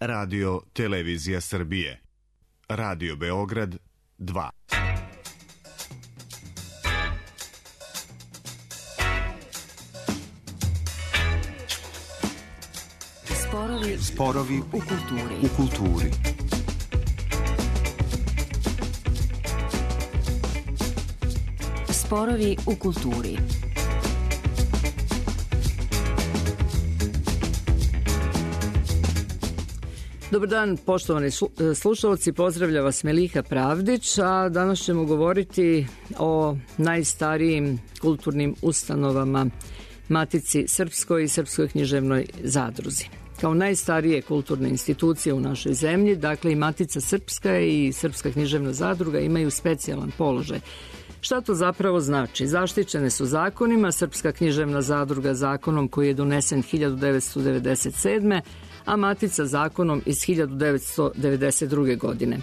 Radio Televizija Srbije. Radio Beograd 2. Sporovi u kulturi. Sporovi u kulturi. Dobar dan, poštovani slušalci, pozdravlja vas Meliha Pravdić, a danas ćemo govoriti o najstarijim kulturnim ustanovama Matici Srpskoj i Srpskoj književnoj zadruzi. Kao najstarije kulturne institucije u našoj zemlji, dakle i Matica Srpska i Srpska književna zadruga imaju specijalan položaj. Šta to zapravo znači? Zaštićene su zakonima, Srpska književna zadruga zakonom koji je donesen 1997. a Matica zakonom iz 1992. godine.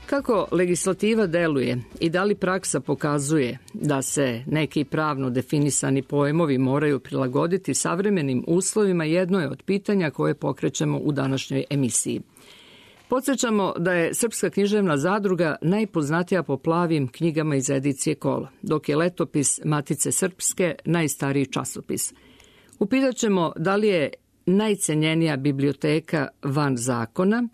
Kako legislativa deluje i da li praksa pokazuje da se neki pravno definisani pojmovi moraju prilagoditi savremenim uslovima, jedno je od pitanja koje pokrećemo u današnjoj emisiji. Podsjećamo da je Srpska književna zadruga najpoznatija po plavim knjigama iz edicije Kola, dok je letopis Matice Srpske najstariji časopis. Upitaćemo da li je najcenjenija biblioteka van zakona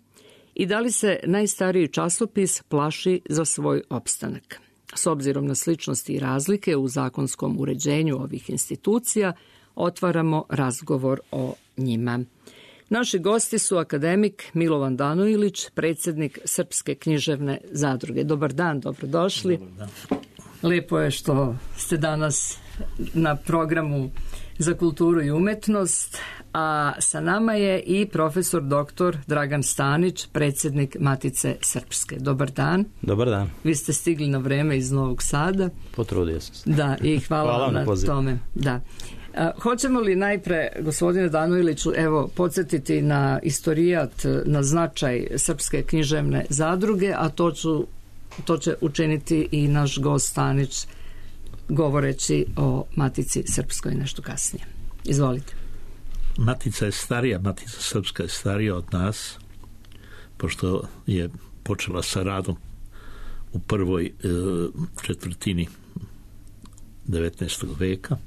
i da li se najstariji časopis plaši za svoj opstanak. S obzirom na sličnosti i razlike u zakonskom uređenju ovih institucija, otvaramo razgovor o njima. Naši gosti su akademik Milovan Danojlić, predsjednik Srpske književne zadruge. Dobar dan, dobrodošli. Dobar dan. Lijepo je što ste danas na programu za kulturu i umetnost, a sa nama je i profesor doktor Dragan Stanić, predsjednik Matice Srpske. Dobar dan. Dobar dan. Vi ste stigli na vreme iz Novog Sada. Potrudio sam se. Da, i hvala vam na tome. Da. Hoćemo li najpre, gospodine Danojliću, evo, podsjetiti na istorijat, na značaj Srpske književne zadruge, a to će učiniti i naš gost Stanić, govoreći o Matici Srpskoj nešto kasnije. Izvolite. Matica je starija, Matica Srpska je starija od nas, pošto je počela sa radom u prvoj četvrtini 19. veka,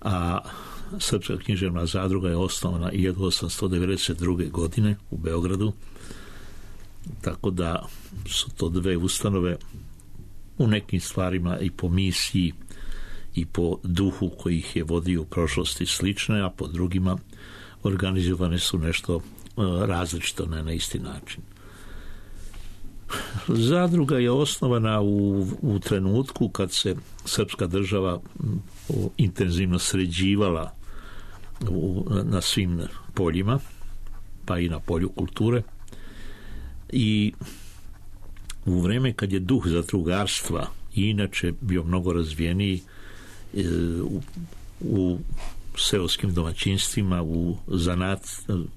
a Srpska književna zadruga je osnovana 1892. godine u Beogradu, tako da su to dve ustanove u nekim stvarima i po misiji i po duhu koji ih je vodio u prošlosti slične, a po drugima organizovane su nešto različito, ne na isti način. Zadruga je osnovana u trenutku kad se srpska država intenzivno sređivala na svim poljima, pa i na polju kulture, i u vreme kad je duh zadrugarstva i inače bio mnogo razvijeniji u seoskim domaćinstvima,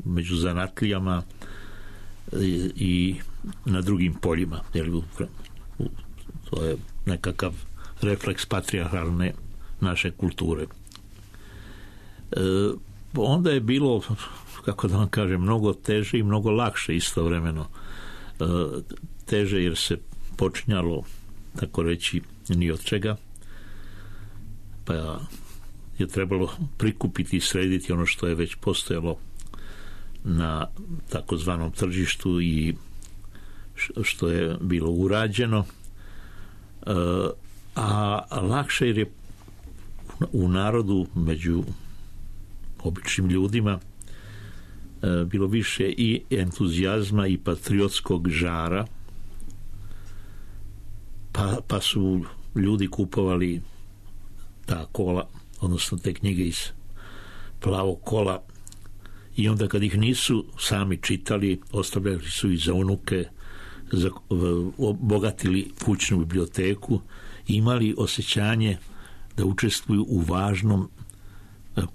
među zanatlijama i na drugim poljima. To je nekakav refleks patrijarhalne naše kulture. Onda je bilo, kako da vam kažem, mnogo teže i mnogo lakše istovremeno. Teže jer se počinjalo, tako reći, ni od čega, pa je trebalo prikupiti i srediti ono što je već postojalo na takozvanom tržištu i što je bilo urađeno, a lakše jer je u narodu, među običnim ljudima, bilo više i entuzijazma i patriotskog žara, pa su ljudi kupovali ta kola, odnosno te knjige iz Plavog kola, i onda kad ih nisu sami čitali, ostavljali su i za unuke, obogatili kućnu biblioteku i imali osjećanje da učestvuju u važnom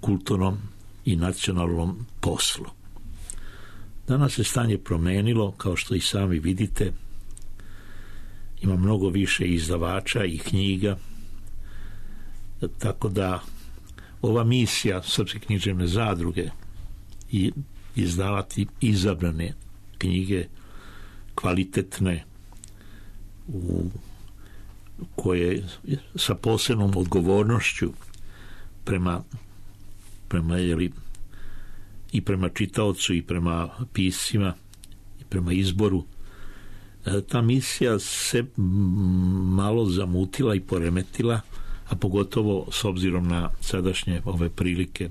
kulturnom i nacionalnom poslu. Danas se stanje promenilo, kao što i sami vidite. Ima mnogo više izdavača i knjiga, tako da ova misija Srpske književne zadruge i izdavati izabrane knjige, kvalitetne, koje sa posebnom odgovornošću prema i prema čitaocu i prema piscima i prema izboru. Ta misija se malo zamutila i poremetila, a pogotovo s obzirom na sadašnje ove prilike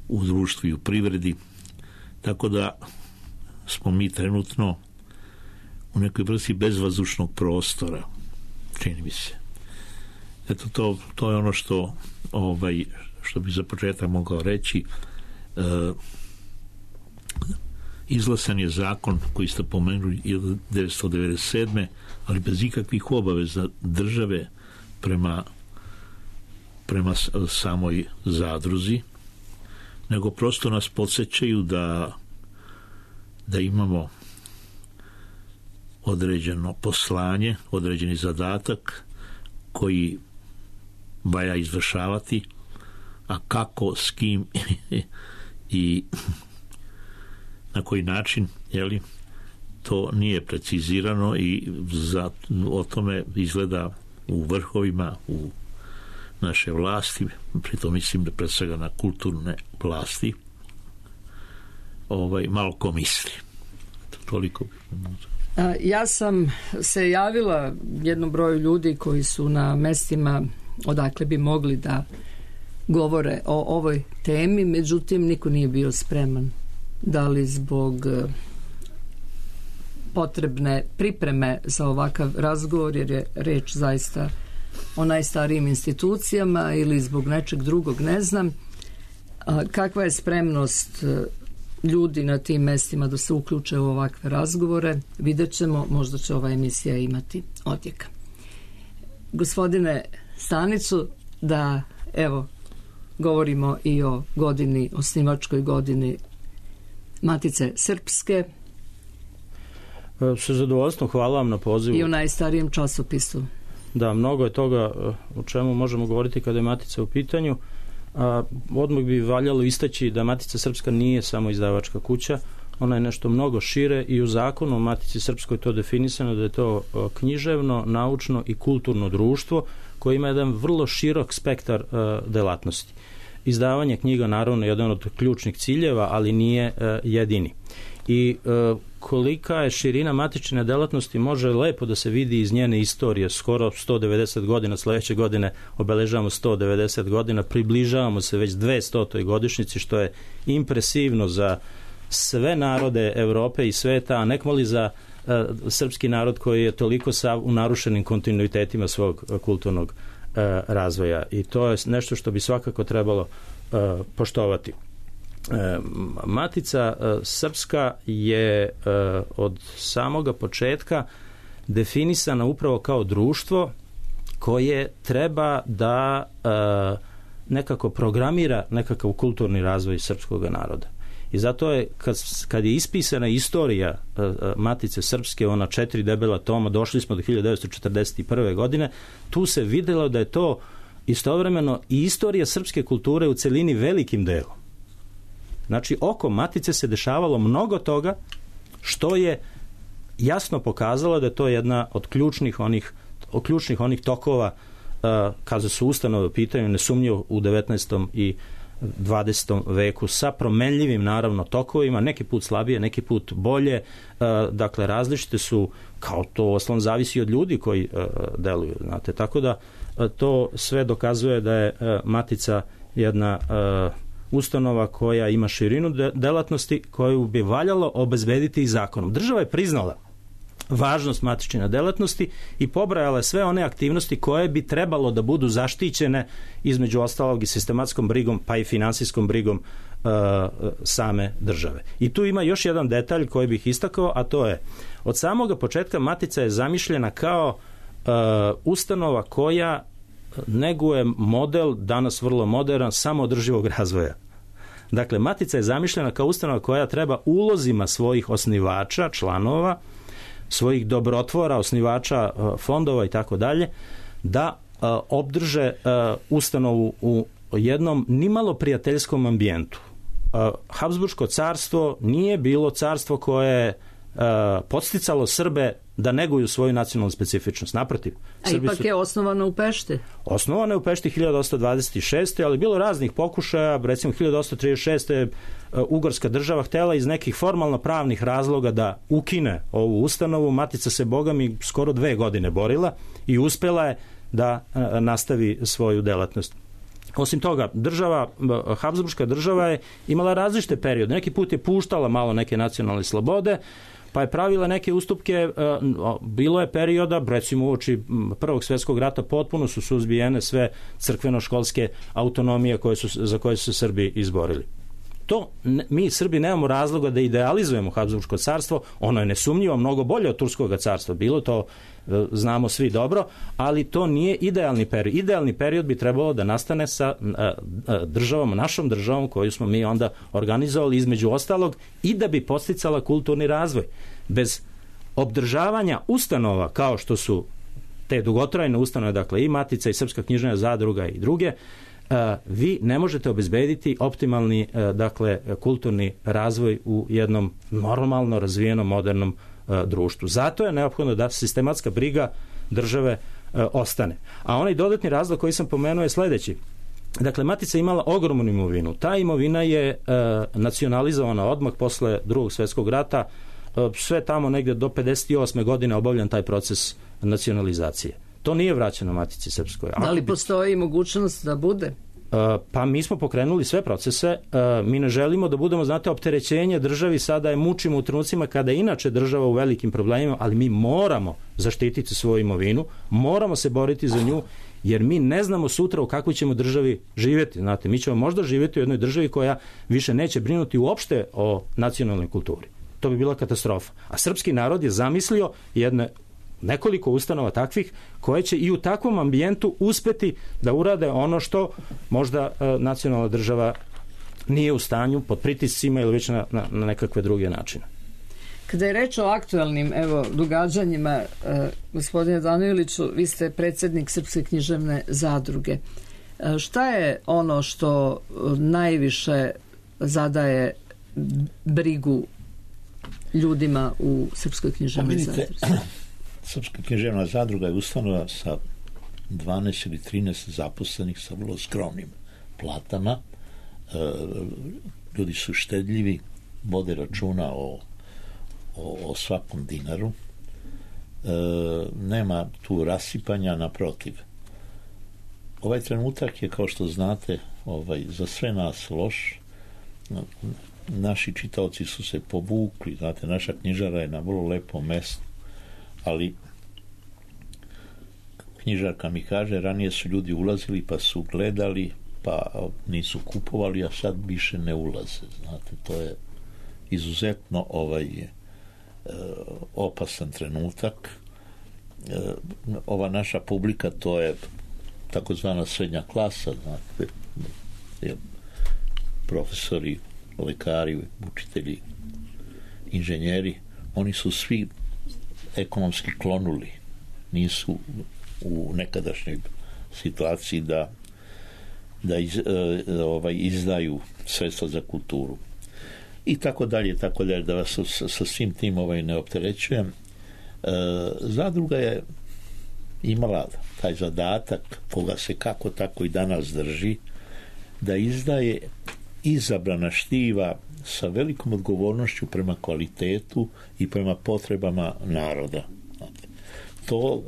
u društvu i u privredi, tako da smo mi trenutno u nekoj vrsti bezvazdušnog prostora, čini mi se. Eto, to je ono što bi za početak mogao reći. Izglasan je zakon koji ste pomenuli 1997. ali bez ikakvih obaveza države prema samoj zadruzi, nego prosto nas podsjećaju da imamo određeno poslanje, određeni zadatak koji valja izvršavati, a kako, s kim i na koji način, to nije precizirano i o tome izgleda u vrhovima, u naše vlasti, pritom mislim da pred svega na kulturne vlasti, malo ko misli. Toliko. Ja sam se javila jednom broju ljudi koji su na mestima odakle bi mogli da govore o ovoj temi, međutim niko nije bio spreman. Da li zbog potrebne pripreme za ovakav razgovor, jer je reč zaista o najstarijim institucijama, ili zbog nečeg drugog, ne znam. Kakva je spremnost ljudi na tim mestima da se uključe u ovakve razgovore, vidjet ćemo, možda će ova emisija imati odjeka. Gospodine Stanicu, da evo govorimo i o godini, osnivačkoj godini Matice Srpske. Sa zadovoljstvom, hvala vam na pozivu. I o najstarijem časopisu. Da, mnogo je toga o čemu možemo govoriti kada je Matica u pitanju. Odmah bi valjalo istaći da Matica Srpska nije samo izdavačka kuća, ona je nešto mnogo šire i u zakonu o Matici Srpskoj to definisano da je to književno, naučno i kulturno društvo koje ima jedan vrlo širok spektar delatnosti. Izdavanje knjiga naravno je jedan od ključnih ciljeva, ali nije jedini. I kolika je širina matične delatnosti može lepo da se vidi iz njene istorije. Skoro 190 godina, sledeće godine obeležavamo 190 godina, približavamo se već 200. godišnjici, što je impresivno za sve narode Evrope i sveta, a nekmoli za srpski narod koji je toliko u narušenim kontinuitetima svog kulturnog razvoja. I to je nešto što bi svakako trebalo poštovati. Matica Srpska je od samoga početka definisana upravo kao društvo koje treba da nekako programira nekakav kulturni razvoj srpskog naroda. I zato je, kad je ispisana istorija Matice Srpske, ona 4 debela toma, došli smo do 1941. godine, tu se videlo da je to istovremeno i istorija srpske kulture u celini velikim delom. Znači, oko Matice se dešavalo mnogo toga što je jasno pokazalo da je to jedna od ključnih onih tokova kada su ustanove u pitanju, nesumnjivo u 19. i 20. veku sa promenljivim naravno tokovima, neki put slabije, neki put bolje, dakle različite su, kao to osnovno zavisi od ljudi koji deluju, znate, tako da to sve dokazuje da je Matica jedna ustanova koja ima širinu delatnosti koju bi valjalo obezbediti i zakonom. Država je priznala važnost matične delatnosti i pobrajala sve one aktivnosti koje bi trebalo da budu zaštićene, između ostalog i sistematskom brigom pa i finansijskom brigom same države. I tu ima još jedan detalj koji bih istakao, a to je od samoga početka Matica je zamišljena kao ustanova koja neguje model, danas vrlo modern, samoodrživog razvoja. Dakle, Matica je zamišljena kao ustanova koja treba ulozima svojih osnivača, članova, svojih dobrotvora, osnivača fondova i tako dalje, da obdrže ustanovu u jednom nimalo prijateljskom ambijentu. Habsburško carstvo nije bilo carstvo koje je podsticalo Srbe da neguju svoju nacionalnu specifičnost. Naprotiv. A ipak je osnovano u Pešti. Osnovano je u Pešti 1826. ali bilo raznih pokušaja. Recimo 1836. Ugorska država htjela iz nekih formalno pravnih razloga da ukine ovu ustanovu. Matica se bogami skoro 2 godine borila i uspjela je da nastavi svoju delatnost. Osim toga, Habsburška država je imala različite periode. Neki put je puštala malo neke nacionalne slobode, pa je pravila neke ustupke. Bilo je perioda, recimo uoči Prvog svjetskog rata, potpuno su suzbijene sve crkveno-školske autonomije za koje su se Srbi izborili. Mi Srbi nemamo razloga da idealizujemo Habsburško carstvo, ono je nesumnjivo mnogo bolje od Turskog carstva bilo, to znamo svi dobro, ali to nije idealni period. Idealni period bi trebalo da nastane sa državom, našom državom koju smo mi onda organizovali između ostalog i da bi podsticala kulturni razvoj. Bez obdržavanja ustanova kao što su te dugotrajne ustanove, dakle i Matica i Srpska književna zadruga i druge, vi ne možete obezbediti optimalni kulturni razvoj u jednom normalno razvijenom modernom društvu. Zato je neophodno da sistematska briga države ostane. A onaj dodatni razlog koji sam pomenuo je sljedeći. Dakle, Matica je imala ogromnu imovinu. Ta imovina je nacionalizovana odmah posle Drugog svjetskog rata. Sve tamo negdje do 58. godine obavljan taj proces nacionalizacije. To nije vraćeno Matici Srpskoj. Da li postoji mogućnost da bude? Pa mi smo pokrenuli sve procese. Mi ne želimo da budemo, znate, opterećenje državi. Sada je mučimo u trenucima kada je inače država u velikim problemima, ali mi moramo zaštititi svoju imovinu, moramo se boriti za nju, jer mi ne znamo sutra u kakvoj ćemo državi živjeti. Znate, mi ćemo možda živjeti u jednoj državi koja više neće brinuti uopšte o nacionalnoj kulturi. To bi bila katastrofa. A srpski narod je zamislio nekoliko ustanova takvih koje će i u takvom ambijentu uspjeti da urade ono što možda nacionalna država nije u stanju pod pritiscima ili već na nekakve druge načine. Kada je reč o aktualnim događanjima, gospodine Danojliću, vi ste predsjednik Srpske književne zadruge. Šta je ono što najviše zadaje brigu ljudima u Srpskoj književnoj zadruzi? Srpska književna zadruga je ustanova sa 12 ili 13 zaposlenih sa vrlo skromnim platama. Ljudi su štedljivi, vode računa o svakom dinaru. Nema tu rasipanja, naprotiv. Ovaj trenutak je, kao što znate, za sve nas loš. Naši čitaoci su se povukli, znate, naša knjižara je na vrlo lepom mestu, ali knjižarka mi kaže, ranije su ljudi ulazili pa su gledali, pa nisu kupovali, a sad više ne ulaze. Znate, to je izuzetno opasan trenutak. Ova naša publika, to je takozvana srednja klasa, znate, profesori, lekari, učitelji, inženjeri, oni su svi ekonomski klonuli, nisu u nekadašnjoj situaciji da izdaju sredstva za kulturu i tako dalje, da vas sa svim tim ne opterećujem. Zadruga je imala taj zadatak, koga se kako tako i danas drži, da izdaje izabrana štiva sa velikom odgovornošću prema kvalitetu i prema potrebama naroda. To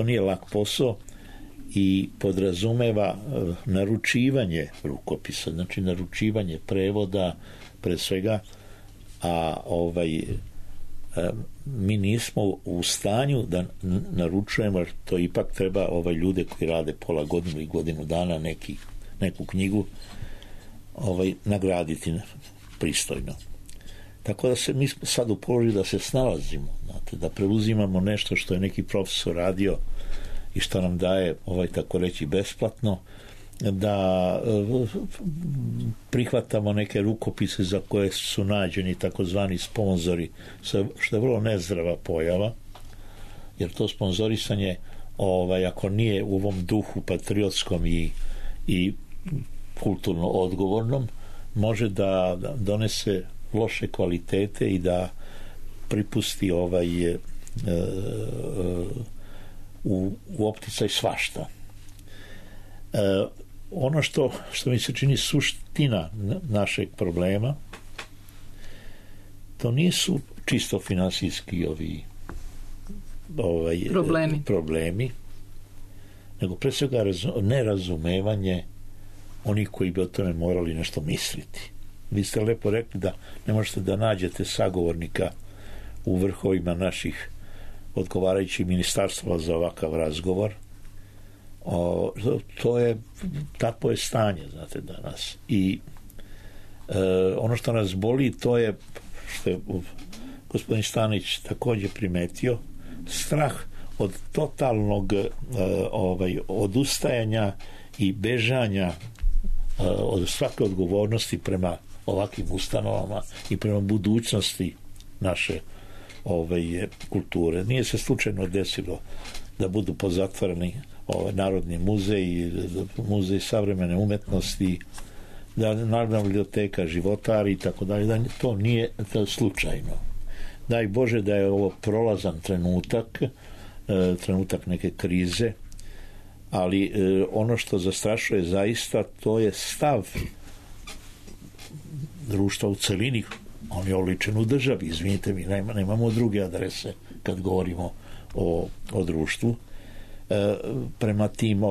nije lak posao i podrazumeva naručivanje rukopisa, znači naručivanje prevoda pre svega, a mi nismo u stanju da naručujemo, jer to ipak treba ljude koji rade pola godinu i godinu dana neku knjigu nagraditi pristojno. Tako da mi smo sad u položaju da se snalazimo, znate, da preuzimamo nešto što je neki profesor radio i što nam daje tako reći besplatno, da prihvatamo neke rukopise za koje su nađeni takozvani sponzori, što je vrlo nezdrava pojava, jer to sponzorisanje ako nije u ovom duhu patriotskom i kulturno odgovornom, može da donese loše kvalitete i da pripusti u opticaj svašta. Ono što mi se čini suština našeg problema, to nisu čisto finansijski problemi, nego pre svega nerazumevanje onih koji bi o tome morali nešto misliti. Vi ste lepo rekli da ne možete da nađete sagovornika u vrhovima naših odgovarajućih ministarstva za ovakav razgovor. Takvo je stanje, znate, danas. I ono što nas boli, to je, što je gospodin Stanić također primetio, strah od totalnog odustajanja i bežanja od svake odgovornosti prema ovakvim ustanovama i prema budućnosti naše kulture. Nije se slučajno desilo da budu pozatvoreni Narodni muzej, muzej savremene umetnosti, da Narodna biblioteka životari i tako dalje, da to nije slučajno. Daj Bože da je ovo prolazan trenutak neke krize, ali ono što zastrašuje zaista, to je stav društva u celini. On je oličen u državi, izvinite mi, nemamo druge adrese kad govorimo o društvu. Prema tim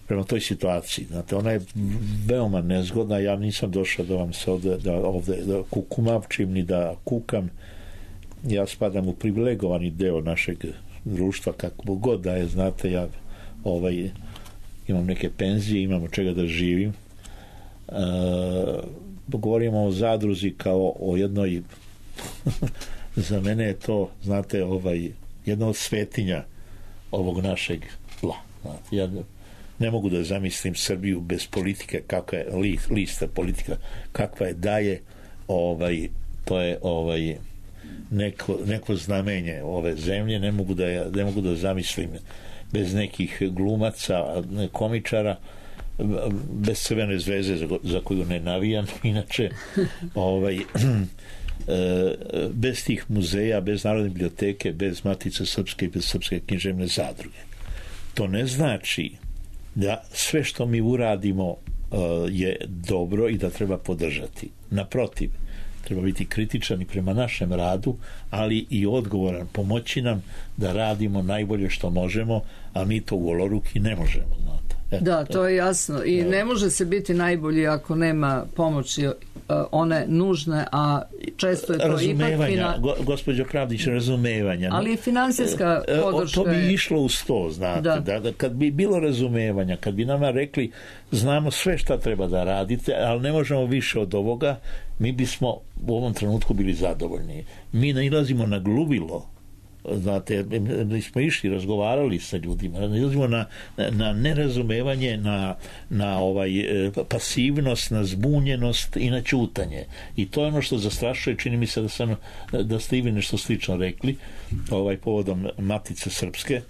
prema toj situaciji. Znate, ona je veoma nezgodna. Ja nisam došao da vam se ovde da kukumavčim ni da kukam. Ja spadam u privilegovani deo našeg društva, kako god da je, znate, ja imam neke penzije, imam od čega da živim. Govorimo o zadruzi kao o jednoj za mene je to, znate, jedna od svetinja ovog našeg tla. Ja ne mogu da zamislim Srbiju bez politike, kakva je lista politika, kakva je daje, to je neko znamenje ove zemlje. Ne mogu da zamislim bez nekih glumaca, komičara, bez Crvene zvezde za koju ne navijam inače, bez tih muzeja, bez Narodne biblioteke, bez Matice Srpske i bez Srpske književne zadruge. To ne znači da sve što mi uradimo je dobro i da treba podržati. Naprotiv, treba biti kritičan i prema našem radu, ali i odgovoran, pomoći nam da radimo najbolje što možemo, a mi to u goloruki ne možemo, znate. Da, to je jasno. I ne može se biti najbolji ako nema pomoći one nužne, a često je to razumevanja, gospođo Pravdić, razumevanja. Ali i finansijska podrška. To bi išlo uz to, znate. Da, kad bi bilo razumevanja, kad bi nama rekli znamo sve šta treba da radite, ali ne možemo više od ovoga, mi bismo u ovom trenutku bili zadovoljni. Mi nailazimo na gluvilo, znate, mi smo išli, razgovarali sa ljudima, nailazimo na nerazumevanje, na pasivnost, na zbunjenost i na ćutanje. I to je ono što zastrašuje, čini mi se da ste i vi nešto slično rekli povodom Matice Srpske.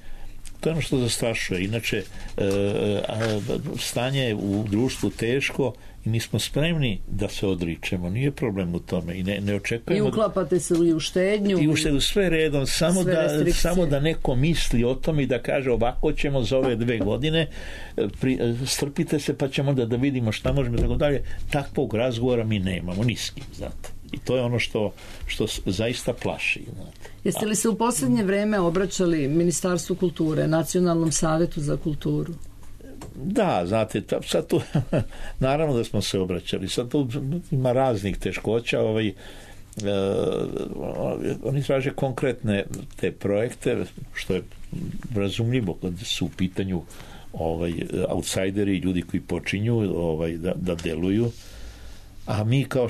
To je ono što zastrašuje. Inače, stanje je u društvu teško i mi smo spremni da se odričemo. Nije problem u tome i ne očekujemo. I uklapate se i u štednju. I u štednju, sve redom, samo da neko misli o tome i da kaže ovako ćemo za ove 2 godine, strpite se pa ćemo da vidimo šta možemo, tako dalje. Takvog razgovora mi nemamo, ni s kim, znate. I to je ono što zaista plaši. Znate. Jeste li se u posljednje vreme obraćali Ministarstvu kulture, Nacionalnom savetu za kulturu? Da, znate, sad tu naravno da smo se obraćali. Sad tu ima raznih teškoća. Oni traže konkretne te projekte, što je razumljivo kad su u pitanju outsideri, ljudi koji počinju da deluju. A mi, kao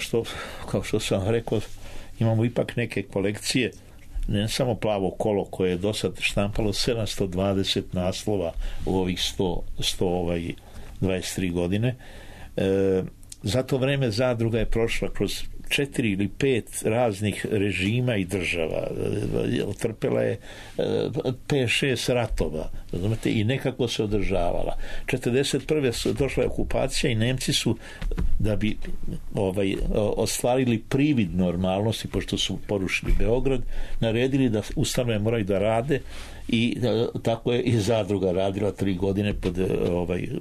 što sam rekao, imamo ipak neke kolekcije, ne samo Plavo kolo koje je do sad štampalo 720 naslova u ovih 123 godine. Za to vreme zadruga je prošla kroz 4 ili 5 raznih režima i država, otrpela je 5-6 ratova, razumete, i nekako se održavala. 1941. došla je okupacija i Nemci su, da bi ostvarili privid normalnosti, pošto su porušili Beograd, naredili da ustanove moraju da rade, i tako je i zadruga radila 3 godine pod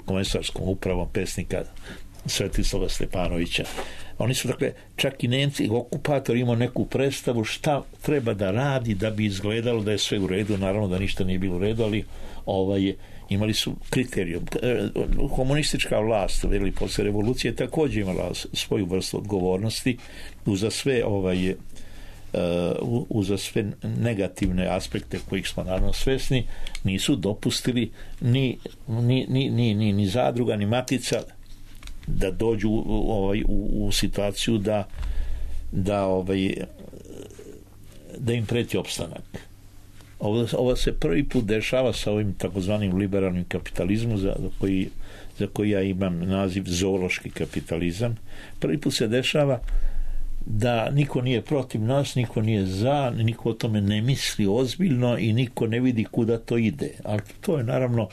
komesarskom upravom pesnika Svetislava Stepanovića. Oni su, dakle, čak i Nemci, okupator imao neku predstavu šta treba da radi da bi izgledalo da je sve u redu. Naravno da ništa nije bilo u redu, ali imali su kriterijum. Komunistička vlast, posle revolucije, također imala svoju vrstu odgovornosti uza sve negativne aspekte kojih smo naravno svesni. Nisu dopustili ni zadruga, ni matica da dođu u situaciju da im preti opstanak. Ovo se prvi put dešava sa ovim takozvanim liberalnim kapitalizmom za koji ja imam naziv zoološki kapitalizam. Prvi put se dešava da niko nije protiv nas, niko nije za, niko o tome ne misli ozbiljno i niko ne vidi kuda to ide. Ali to je naravno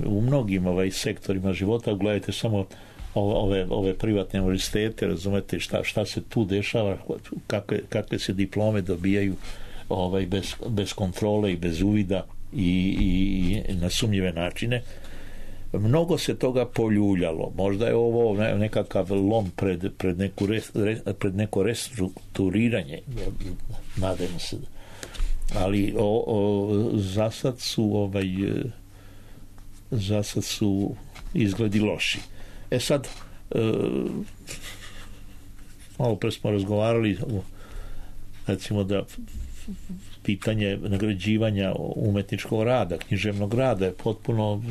u mnogim sektorima života. Gledajte samo ove privatne univerzitete, razumete šta se tu dešava, kakve se diplome dobijaju bez kontrole i bez uvida i na sumnjive načine. Mnogo se toga poljuljalo. Možda je ovo nekakav lom pred neko restrukturiranje, nadam se. Ali zasad su izgledi loši. Sad, malo pre smo razgovarali, recimo da pitanje nagrađivanja umetničkog rada, književnog rada je potpuno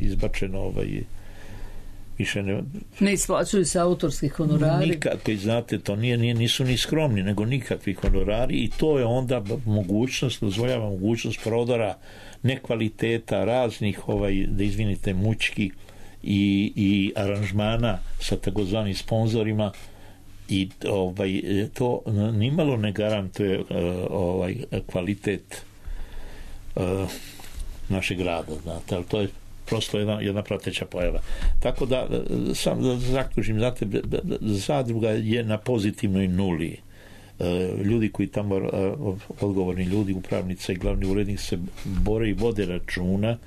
izbačeno, više ne isplaćuju se autorski honorari. Nikakvi, znate, to nisu ni skromni, nego nikakvi honorari, i to je onda dozvoljava mogućnost prodora nekvaliteta raznih, da izvinite, mučki i aranžmana sa takozvanim sponzorima, i to nimalo ne garantuje kvalitet našeg rada, znate, ali to je prosto jedna prateća pojava. Tako da, sam da zaključim, znate, zadruga je na pozitivnoj nuli. Ljudi koji tamo, odgovorni ljudi, upravnica i glavni urednik, se bore i vode računa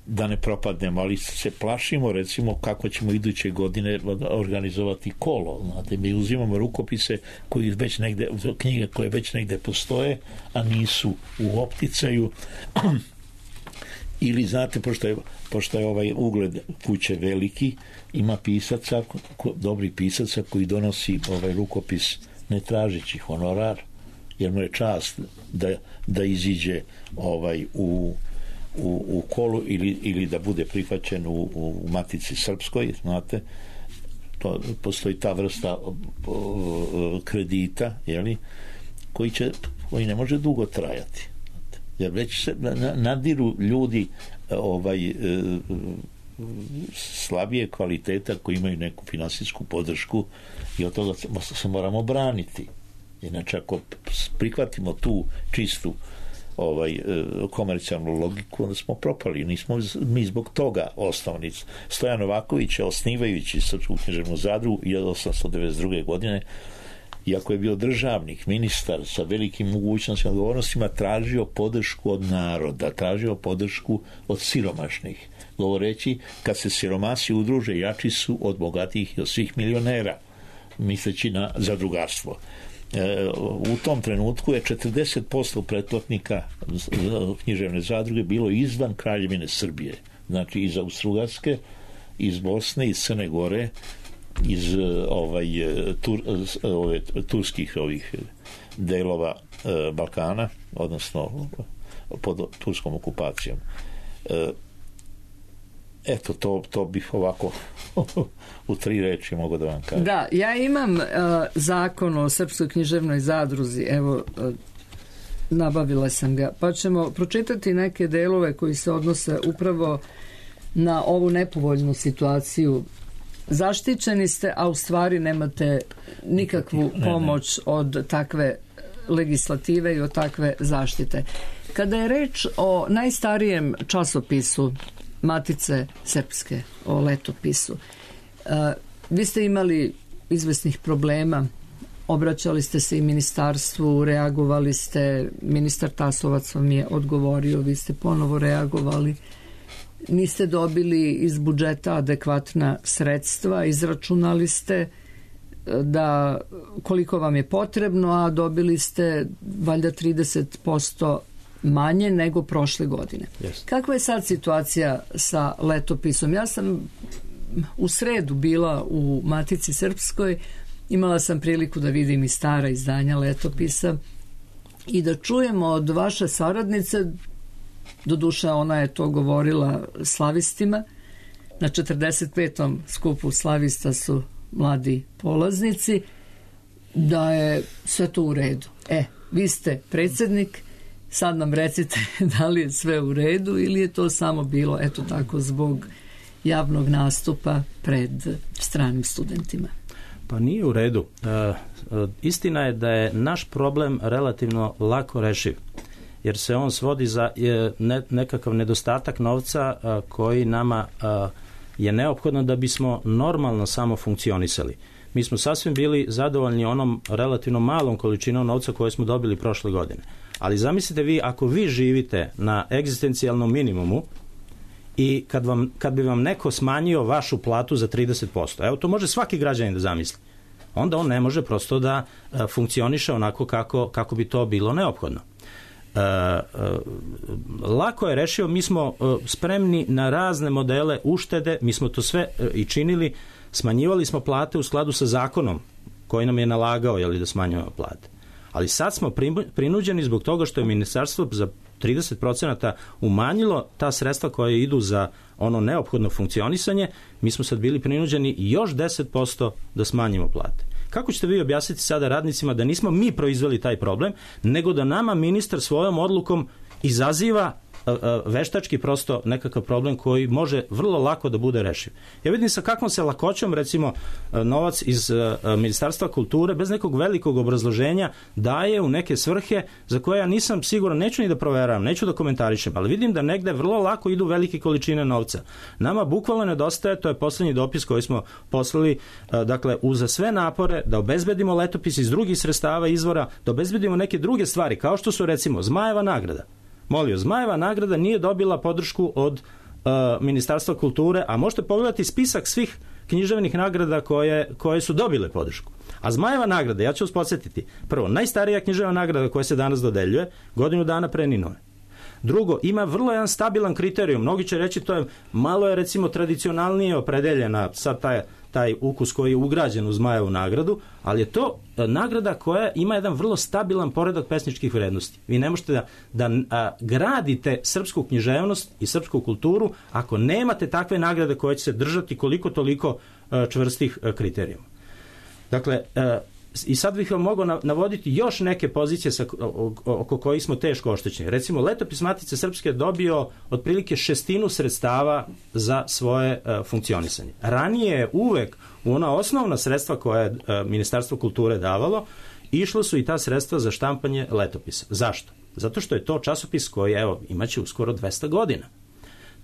da ne propadnemo, ali se plašimo, recimo, kako ćemo iduće godine organizovati kolo. Znate, mi uzimamo rukopise koji već negde, knjige koje već negde postoje, a nisu u opticaju, ili, znate, pošto je ugled kuće veliki, ima pisaca, dobrih pisaca, koji donosi rukopis ne tražeći honorar, jer mu je čast da iziđe u kolu ili da bude prihvaćen u Matici Srpskoj, znate, postoji ta vrsta kredita, koji ne može dugo trajati, jer već se nadiru ljudi slabije kvaliteta koji imaju neku finansijsku podršku, i od toga se moramo braniti. Inače, ako prihvatimo tu čistu komercijalnu logiku, onda smo propali. Nismo mi zbog toga osnovni. Stojan Novaković je, osnivajući Srpsku književnu zadrugu 1892. godine, iako je bio državnik, ministar sa velikim mogućnostima i odgovornostima, tražio podršku od naroda, tražio podršku od siromašnih, govoreći, kad se siromasi udruže, jači su od bogatih i od svih milionera, misleći na zadrugarstvo. U tom trenutku je 40% pretplatnika književne zadruge bilo izvan Kraljevine Srbije, znači iz Austrougarske, iz Bosne, iz Crne Gore, iz turskih delova Balkana, odnosno pod turskom okupacijom. Eto, to bih ovako u 3 reči mogao da vam kažem. Da, ja imam zakon o Srpskoj književnoj zadruzi, evo, nabavila sam ga, pa ćemo pročitati neke delove koji se odnose upravo na ovu nepovoljnu situaciju zaštićeni ste, a u stvari nemate nikakvu pomoć od takve legislative i od takve zaštite. Kada je reč o najstarijem časopisu Matice Srpske, o letopisu, vi ste imali izvesnih problema, obraćali ste se i ministarstvu, reagovali ste, ministar Tasovac vam je odgovorio, vi ste ponovo reagovali, niste dobili iz budžeta adekvatna sredstva, izračunali ste da koliko vam je potrebno, a dobili ste valjda 30% manje nego prošle godine. Yes. Kakva je sad situacija sa letopisom? Ja sam u sredu bila u Matici Srpskoj, imala sam priliku da vidim i stara izdanja letopisa i da čujemo od vaše saradnice, doduše ona je to govorila slavistima, na 45. skupu slavista su mladi polaznici, da je sve to u redu. Vi ste predsjednik, sad nam recite da li je sve u redu ili je to samo bilo, eto tako, zbog javnog nastupa pred stranim studentima. Pa nije u redu. Istina je da je naš problem relativno lako rešiv, jer se on svodi za nekakav nedostatak novca koji nama je neophodno da bismo normalno samo funkcionisali. Mi smo sasvim bili zadovoljni onom relativno malom količinom novca koje smo dobili prošle godine. Ali zamislite vi, ako vi živite na egzistencijalnom minimumu i kad bi vam neko smanjio vašu platu za 30%, evo to može svaki građanin da zamisli, onda on ne može prosto da funkcioniše onako kako bi to bilo neophodno. Lako je rešio, mi smo spremni na razne modele uštede, mi smo to sve i činili, smanjivali smo plate u skladu sa zakonom koji nam je nalagao da smanjujemo plate. Ali sad smo prinuđeni zbog toga što je ministarstvo za 30% umanjilo ta sredstva koja idu za ono neophodno funkcionisanje, mi smo sad bili prinuđeni još 10% da smanjimo plate. Kako ćete vi objasniti sada radnicima da nismo mi proizveli taj problem, nego da nama ministar svojom odlukom izaziva veštački prosto nekakav problem koji može vrlo lako da bude rešiv. Ja vidim sa kakvom se lakoćom, recimo, novac iz Ministarstva kulture bez nekog velikog obrazloženja daje u neke svrhe za koje ja nisam siguran, neću ni da proveravam, neću da komentarišem, ali vidim da negde vrlo lako idu velike količine novca. Nama bukvalno nedostaje, to je poslednji dopis koji smo poslali, dakle, uza sve napore da obezbedimo letopis iz drugih sredstava izvora, da obezbedimo neke druge stvari, kao što su, recimo, Zmajeva nagrada. Molio, Zmajeva nagrada nije dobila podršku od Ministarstva kulture, a možete pogledati spisak svih književnih nagrada koje su dobile podršku. A Zmajeva nagrada, ja ću vas podsjetiti, prvo, najstarija književna nagrada koja se danas dodeljuje, godinu dana pre Ninove. Drugo, ima vrlo jedan stabilan kriterijum. Mnogi će reći to je malo je, recimo, tradicionalnije opredeljena sad taj ukus koji je ugrađen u Zmajevu nagradu, ali je to nagrada koja ima jedan vrlo stabilan poredak pesničkih vrednosti. Vi ne možete da gradite srpsku književnost i srpsku kulturu ako nemate takve nagrade koje će se držati koliko toliko čvrstih kriterijuma. Dakle, i sad bih vam mogao navoditi još neke pozicije oko kojih smo teško oštećeni. Recimo, letopis Matice Srpske dobio otprilike 1/6 sredstava za svoje funkcionisanje. Ranije je uvek u ona osnovna sredstva koje je Ministarstvo kulture davalo, išlo su i ta sredstva za štampanje letopisa. Zašto? Zato što je to časopis koji, evo, imaće uskoro 200 godina.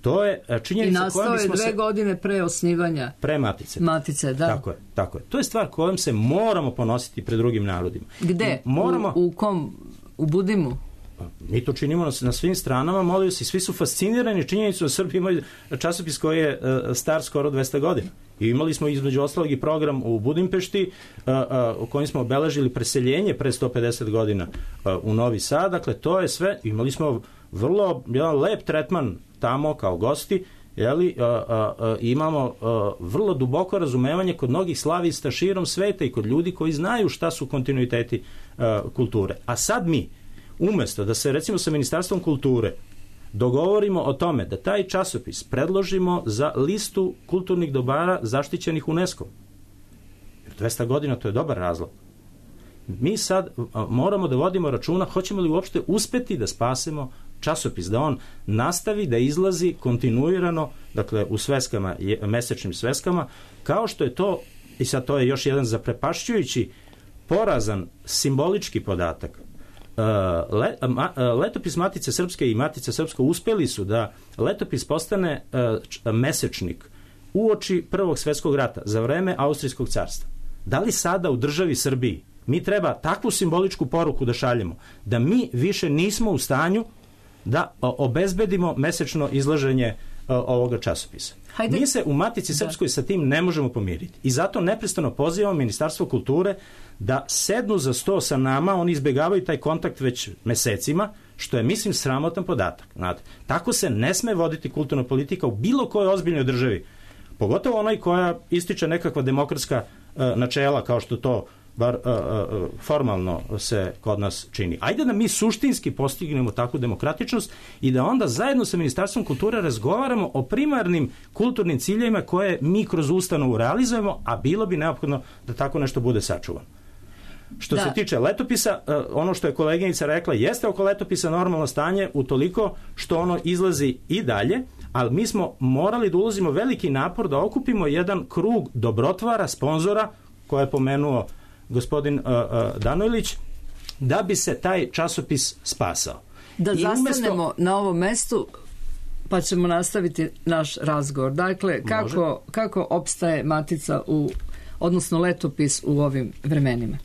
To je činjenica kojom bismo se... I nastao je 2 godine pre osnivanja. Pre Matice. Matice, da. Tako je. To je stvar kojom se moramo ponositi pred drugim narodima. Gde? U kom? U Budimu? Mi to činimo na svim stranama, molio se, svi su fascinirani činjenicom da Srbi imaju časopis koji je star skoro 200 godina. I imali smo između ostalog i program u Budimpešti u kojem smo obeležili preseljenje pre 150 godina u Novi Sad. Dakle, to je sve. Imali smo vrlo jedan lep tretman tamo kao gosti, imamo vrlo duboko razumevanje kod mnogih slavista širom sveta i kod ljudi koji znaju šta su kontinuiteti kulture. A sad mi, umesto da se, recimo, sa Ministarstvom kulture dogovorimo o tome da taj časopis predložimo za listu kulturnih dobara zaštićenih UNESCO. 200 godina, to je dobar razlog. Mi sad moramo da vodimo računa hoćemo li uopšte uspeti da spasemo časopis, da on nastavi da izlazi kontinuirano, dakle u sveskama, mesečnim sveskama, kao što je to, i sad to je još jedan zaprepašćujući, porazan simbolički podatak. Letopis Matice Srpske i Matica Srpska uspeli su da letopis postane mesečnik uoči Prvog svetskog rata, za vreme Austrijskog carstva. Da li sada u državi Srbiji mi treba takvu simboličku poruku da šaljemo, da mi više nismo u stanju da obezbedimo mesečno izlaženje ovoga časopisa? Hajde. Mi se u Matici Srpskoj sa tim ne možemo pomiriti. I zato neprestano pozivamo Ministarstvo kulture da sednu za sto sa nama. Oni izbjegavaju taj kontakt već mesecima, što je, mislim, sramotan podatak. Znate, tako se ne sme voditi kulturna politika u bilo kojoj ozbiljnoj državi, pogotovo onoj koja ističe nekakva demokratska načela, kao što to bar formalno se kod nas čini. Ajde da mi suštinski postignemo takvu demokratičnost i da onda zajedno sa Ministarstvom kulture razgovaramo o primarnim kulturnim ciljevima koje mi kroz ustanovu realizujemo, a bilo bi neophodno da tako nešto bude sačuvano. Što se tiče letopisa, ono što je koleginica rekla, jeste oko letopisa normalno stanje utoliko što ono izlazi i dalje, ali mi smo morali da ulazimo veliki napor da okupimo jedan krug dobrotvara, sponzora, koje je pomenuo gospodin Danojlić, da bi se taj časopis spasao. Da zastanemo na ovom mestu, pa ćemo nastaviti naš razgovor. Dakle, kako opstaje Matica odnosno letopis u ovim vremenima?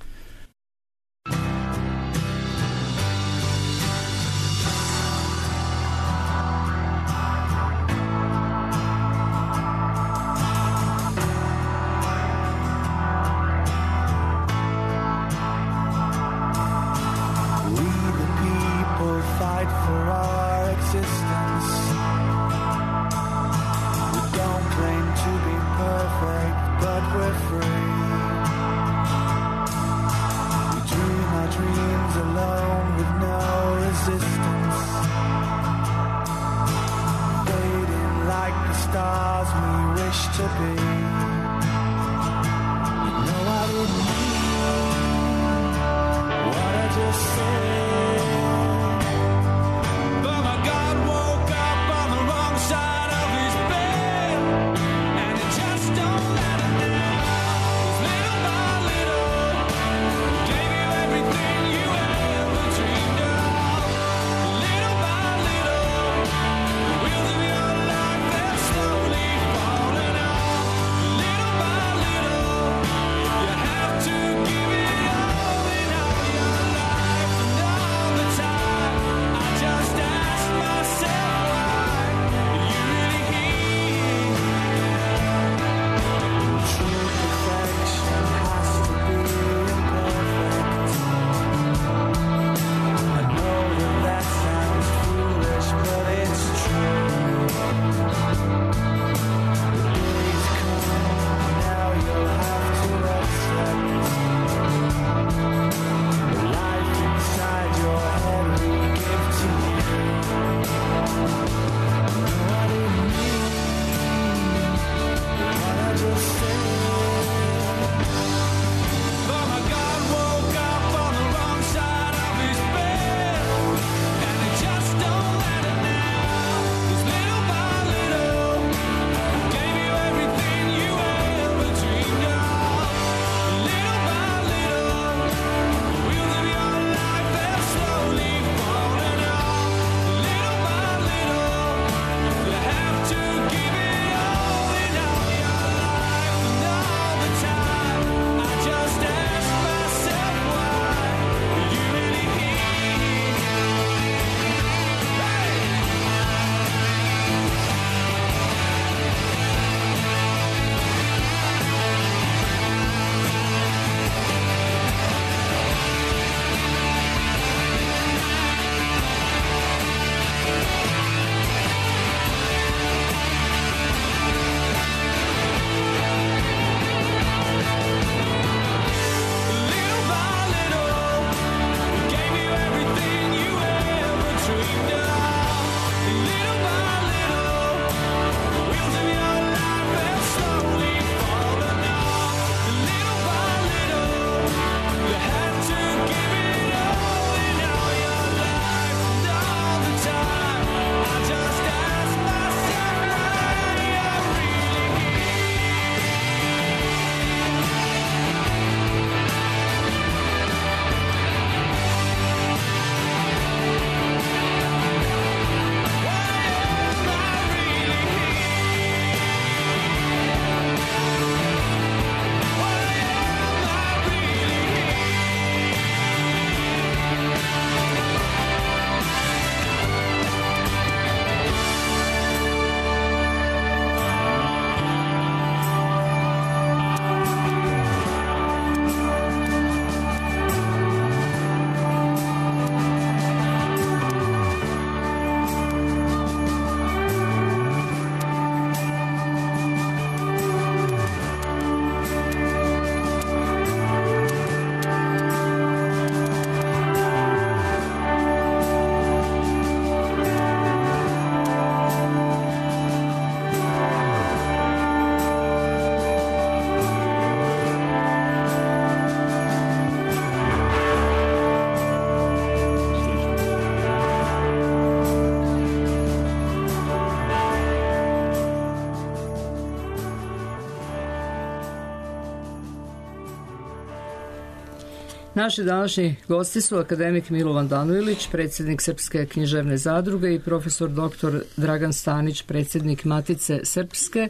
Naši današnji gosti su akademik Milovan Danujlić, predsjednik Srpske književne zadruge, i profesor dr. Dragan Stanić, predsjednik Matice Srpske.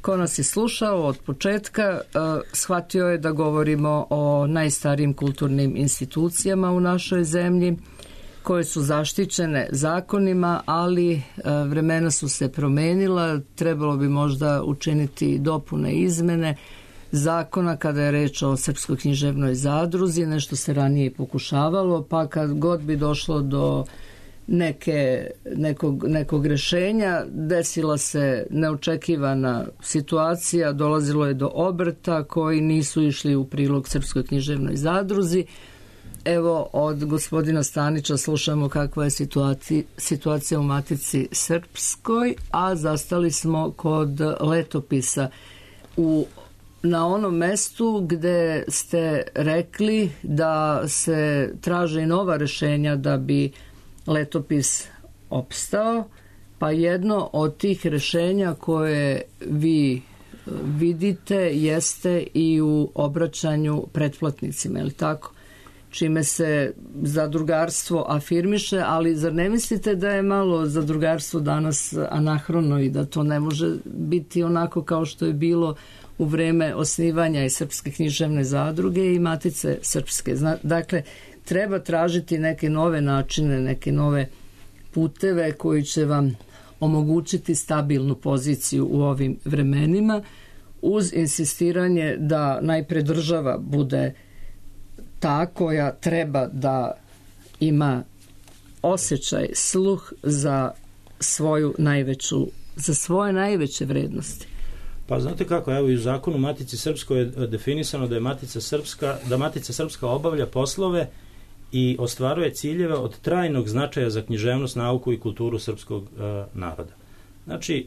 Ko nas je slušao od početka, shvatio je da govorimo o najstarijim kulturnim institucijama u našoj zemlji, koje su zaštićene zakonima, ali vremena su se promenila, trebalo bi možda učiniti dopune izmene zakona kada je reč o Srpskoj književnoj zadruzi, nešto se ranije pokušavalo, pa kad god bi došlo do nekog rešenja, desila se neočekivana situacija, dolazilo je do obrta koji nisu išli u prilog Srpskoj književnoj zadruzi. Evo, od gospodina Stanića slušamo kakva je situacija u Matici Srpskoj, a zastali smo kod letopisa na onom mestu gde ste rekli da se traže i nova rešenja da bi letopis opstao, pa jedno od tih rešenja koje vi vidite jeste i u obraćanju pretplatnicima, je li tako? Čime se zadrugarstvo afirmiše, ali zar ne mislite da je malo zadrugarstvo danas anahrono i da to ne može biti onako kao što je bilo u vreme osnivanja i Srpske književne zadruge i Matice Srpske? Dakle, treba tražiti neke nove načine, neke nove puteve koji će vam omogućiti stabilnu poziciju u ovim vremenima, uz insistiranje da najpre država bude ta koja treba da ima osjećaj, sluh za svoje najveće vrednosti. Pa znate kako, evo i u zakonu Matici Srpskoj je definisano da je Matica Srpska obavlja poslove i ostvaruje ciljeve od trajnog značaja za književnost, nauku i kulturu srpskog naroda. Znači,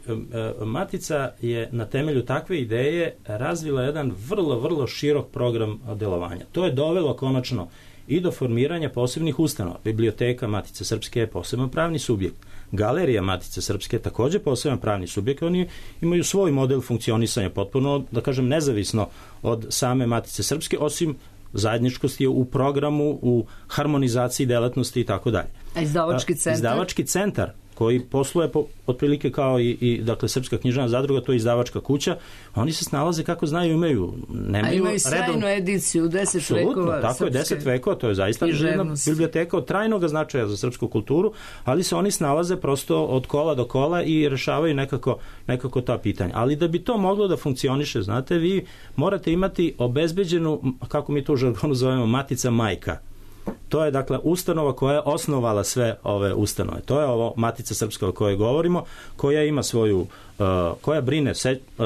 Matica je na temelju takve ideje razvila jedan vrlo, vrlo širok program delovanja. To je dovelo konačno i do formiranja posebnih ustanova. Biblioteka Matice Srpske je poseban pravni subjekt. Galerija Matice Srpske je također poseban pravni subjekt. Oni imaju svoj model funkcionisanja, potpuno, da kažem, nezavisno od same Matice Srpske, osim zajedničkosti u programu, u harmonizaciji delatnosti i tako dalje. A izdavački centar koji posluje otprilike kao dakle, Srpska književna zadruga, to je izdavačka kuća, oni se snalaze kako znaju, imaju sjajnu ediciju 10 vekova tako je, 10 vekova, to je zaista jedna biblioteka od trajnog značaja za srpsku kulturu, ali se oni snalaze prosto od kola do kola i rešavaju nekako ta pitanja. Ali da bi to moglo da funkcioniše, znate, vi morate imati obezbeđenu, kako mi to u žargonu zovemo, matica majka. To je, dakle, ustanova koja je osnovala sve ove ustanove. To je ovo Matica Srpska o kojoj govorimo, koja ima svoju, koja brine,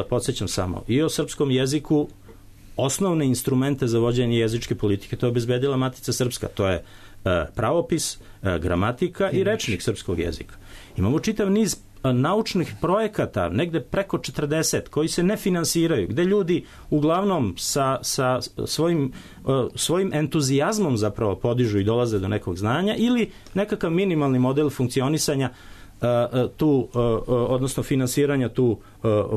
podsjećam samo, i o srpskom jeziku, osnovne instrumente za vođenje jezičke politike, to je obezbedila Matica Srpska. To je pravopis, gramatika i rečnik srpskog jezika. Imamo čitav niz naučnih projekata, negde preko 40, koji se ne finansiraju, gde ljudi uglavnom sa svojim entuzijazmom zapravo podižu i dolaze do nekog znanja, ili nekakav minimalni model funkcionisanja odnosno finansiranja tu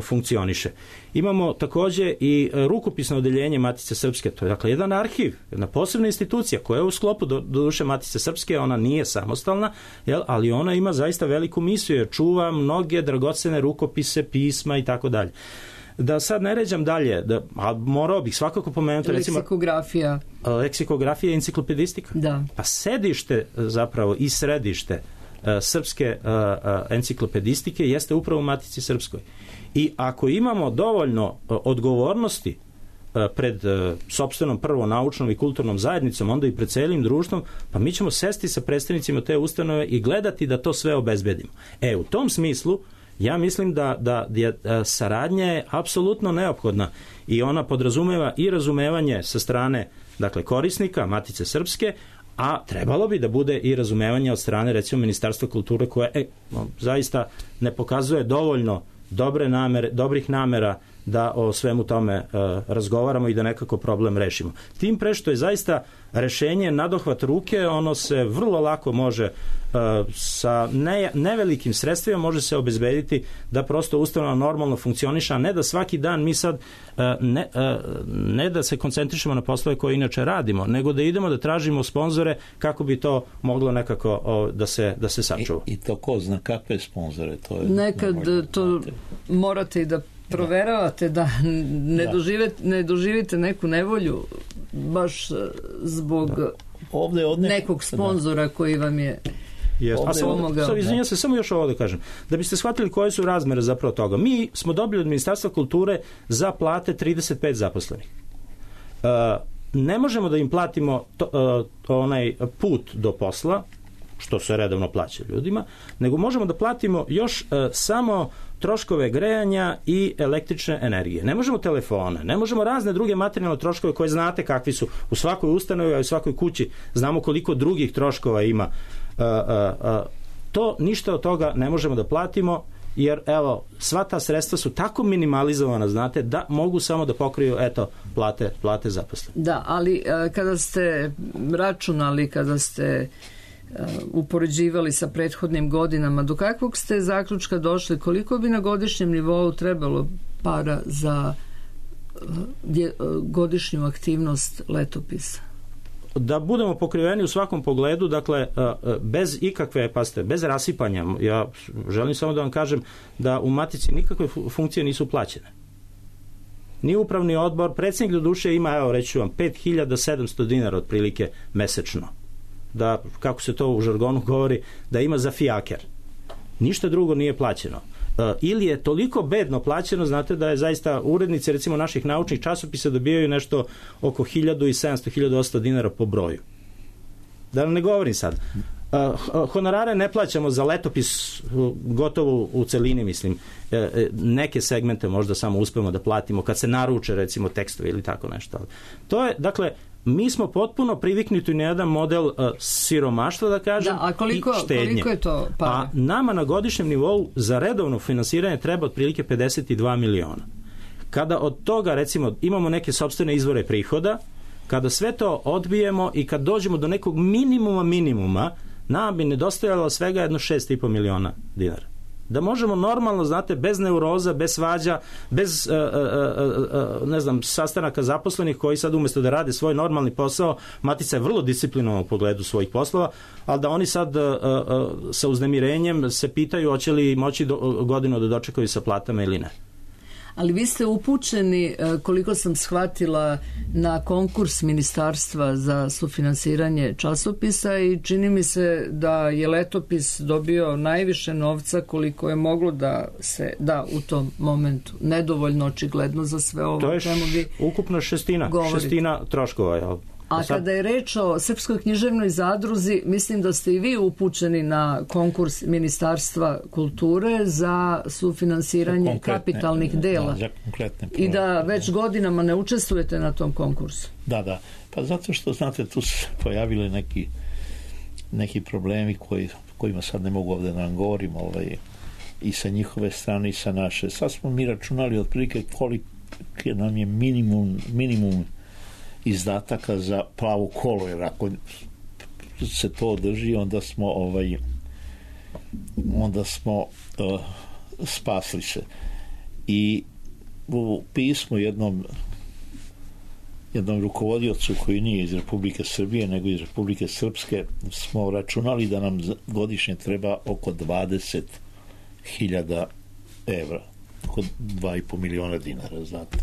funkcioniše. Imamo također i rukopisno odeljenje Matice Srpske, to je, dakle, jedan arhiv, jedna posebna institucija koja je u sklopu doduše Matice Srpske, ona nije samostalna, ali ona ima zaista veliku misiju jer čuva mnoge dragocene rukopise, pisma i tako dalje. Da sad ne ređam dalje, a morao bih svakako pomenuti leksikografija i enciklopedistika. Da. Pa sedište zapravo i središte srpske enciklopedistike jeste upravo u Matici Srpskoj. I ako imamo dovoljno odgovornosti pred sopstvenom prvo naučnom i kulturnom zajednicom, onda i pred celim društvom, pa mi ćemo sesti sa predstavnicima te ustanove i gledati da to sve obezbedimo. U tom smislu ja mislim da saradnja je apsolutno neophodna i ona podrazumeva i razumevanje sa strane, dakle, korisnika Matice Srpske, a trebalo bi da bude i razumevanje od strane, recimo, Ministarstva kulture, koje zaista ne pokazuje dovoljno dobrih namera da o svemu tome razgovaramo i da nekako problem rešimo. Tim pre što je zaista rešenje nadohvat ruke, ono se vrlo lako može sa nevelikim sredstvima može se obezbediti da prosto ustanova normalno funkcioniše, a ne da svaki dan mi sad ne da se koncentrišemo na poslove koje inače radimo, nego da idemo da tražimo sponzore kako bi to moglo nekako da se sačuva. I to ko zna kakve sponzore? To je nekad to morate i da proveravate da ne doživite neku nevolju baš zbog nekog sponzora koji vam je pomogao. Izvinjam se, samo još ovo da kažem. Da biste shvatili koje su razmere zapravo toga. Mi smo dobili od Ministarstva kulture za plate 35 zaposlenih. Ne možemo da im platimo onaj put do posla, što se redovno plaća ljudima, nego možemo da platimo još samo troškove grejanja i električne energije. Ne možemo telefone, ne možemo razne druge materijalne troškove koje znate kakvi su u svakoj ustanovi, a u svakoj kući znamo koliko drugih troškova ima. To ništa od toga ne možemo da platimo, jer evo, sva ta sredstva su tako minimalizovana, znate, da mogu samo da pokriju, plate zaposlenih. Da, ali kada ste računali, kada ste upoređivali sa prethodnim godinama, do kakvog ste zaključka došli, koliko bi na godišnjem nivou trebalo para za godišnju aktivnost letopisa? Da budemo pokriveni u svakom pogledu, dakle, bez ikakve, bez rasipanja, ja želim samo da vam kažem da u Matici nikakve funkcije nisu plaćene. Ni upravni odbor, predsjednik do duše ima, evo reći ću vam, 5700 dinara otprilike mesečno. Da, kako se to u žargonu govori, da ima za fijaker. Ništa drugo nije plaćeno. Ili je toliko bedno plaćeno, znate da je zaista urednici recimo naših naučnih časopisa dobijaju nešto oko 1700-1800 dinara po broju. Da ne govorim sad. Honorare ne plaćamo za letopis gotovo u celini, mislim. Neke segmente možda samo uspemo da platimo kad se naruče recimo tekstovi ili tako nešto. To je, dakle, mi smo potpuno priviknuti na jedan model siromaštva, da kažem, a koliko je to para? A nama na godišnjem nivou za redovno finansiranje treba otprilike 52 miliona. Kada od toga, recimo, imamo neke sopstvene izvore prihoda, kada sve to odbijemo i kad dođemo do nekog minimuma, nam bi nedostajalo svega jedno 6,5 miliona dinara. Da možemo normalno, znate, bez neuroza, bez svađa, bez sastanaka zaposlenih koji sad umjesto da rade svoj normalni posao, Matica je vrlo disciplinovan u pogledu svojih poslova, ali da oni sad sa uznemirenjem se pitaju hoće li moći godinu da dočekaju sa platama ili ne. Ali vi ste upućeni, koliko sam shvatila, na konkurs Ministarstva za sufinansiranje časopisa i čini mi se da je letopis dobio najviše novca koliko je moglo da se da u tom momentu. Nedovoljno očigledno za sve ovo. To je ukupno šestina troškova, jel? A kada je reč o Srpskoj književnoj zadruzi, mislim da ste i vi upućeni na konkurs Ministarstva kulture za sufinansiranje kapitalnih dela. I da već godinama ne učestvujete na tom konkursu. Da. Pa zato što, znate, tu su pojavili neki problemi kojima sad ne mogu ovdje da vam govorim, i sa njihove strane i sa naše. Sad smo mi računali otprilike koliko nam je minimum izdataka za Plavo kolo, jer ako se to održi, onda smo spasli se. I u pismu jednom rukovodiocu koji nije iz Republike Srbije, nego iz Republike Srpske, smo računali da nam godišnje treba oko 20.000 evra, oko 2,5 miliona dinara, znate.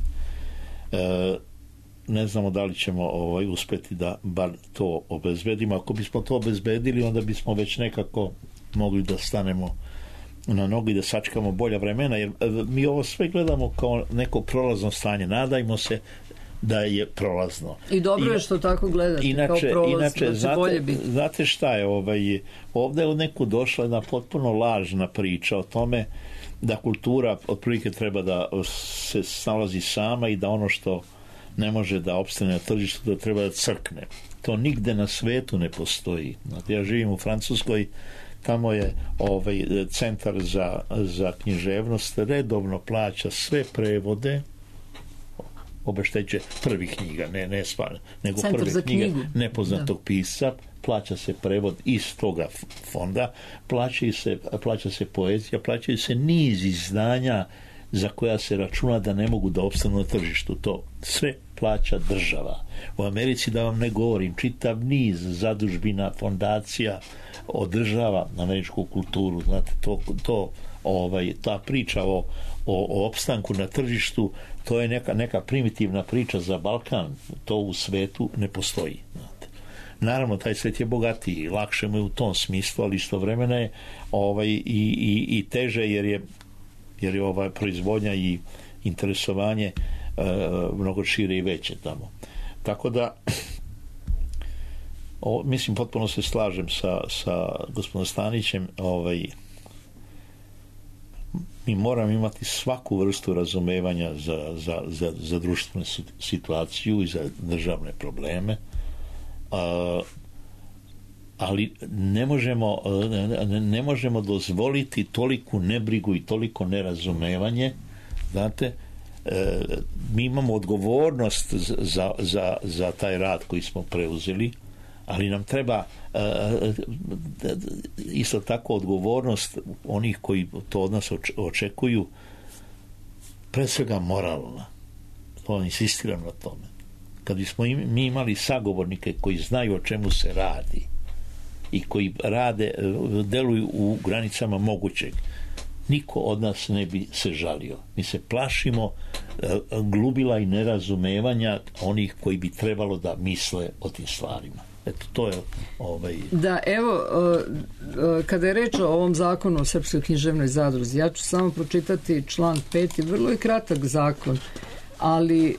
Ne znamo da li ćemo uspjeti da bar to obezbedimo. Ako bismo to obezbedili, onda bismo već nekako mogli da stanemo na nogi, da sačekamo bolja vremena, jer mi ovo sve gledamo kao neko prolazno stanje. Nadajmo se da je prolazno. I dobro je što tako gledate, kao prolazno, da će bolje biti. Znate šta je, ovdje je u neku došla jedna potpuno lažna priča o tome da kultura otprilike treba da se snalazi sama i da ono što ne može da opstane na tržištu, da treba da crkne. To nigde na svetu ne postoji. Znate, ja živim u Francuskoj, tamo je centar za književnost redovno plaća sve prevode obeštećuje prvih knjiga, ne stvar, nego Centar prve za knjige knjigu. nepoznatog pisca, plaća se prevod iz toga fonda, plaća se poezija, plaćaju se niz izdanja za koja se računa da ne mogu da opstanu na tržištu. To sve plaća država. U Americi, da vam ne govorim, čitav niz zadužbina, fondacija održava američku kulturu. Znate, ta priča o opstanku na tržištu, to je neka primitivna priča za Balkan. To u svetu ne postoji. Znate. Naravno, taj svet je bogatiji, lakše mu je u tom smislu, ali istovremeno je i teže, jer je proizvodnja i interesovanje mnogo šire i veće tamo. Tako da mislim, potpuno se slažem sa gospodinom Stanićem, mi moramo imati svaku vrstu razumevanja za društvenu situaciju i za državne probleme, ali ne možemo dozvoliti toliku nebrigu i toliko nerazumevanje. Znate, mi imamo odgovornost za taj rad koji smo preuzeli, ali nam treba isto tako odgovornost onih koji to od nas očekuju, pre svega moralna. To insistiram na tome. Kad bismo mi imali sagovornike koji znaju o čemu se radi i koji deluju u granicama mogućeg, niko od nas ne bi se žalio. Mi se plašimo glubila i nerazumevanja onih koji bi trebalo da misle o tim stvarima. Eto, to je Da, evo, kada je reč o ovom zakonu o Srpskoj književnoj zadruzi, ja ću samo pročitati član 5. Vrlo je kratak zakon, ali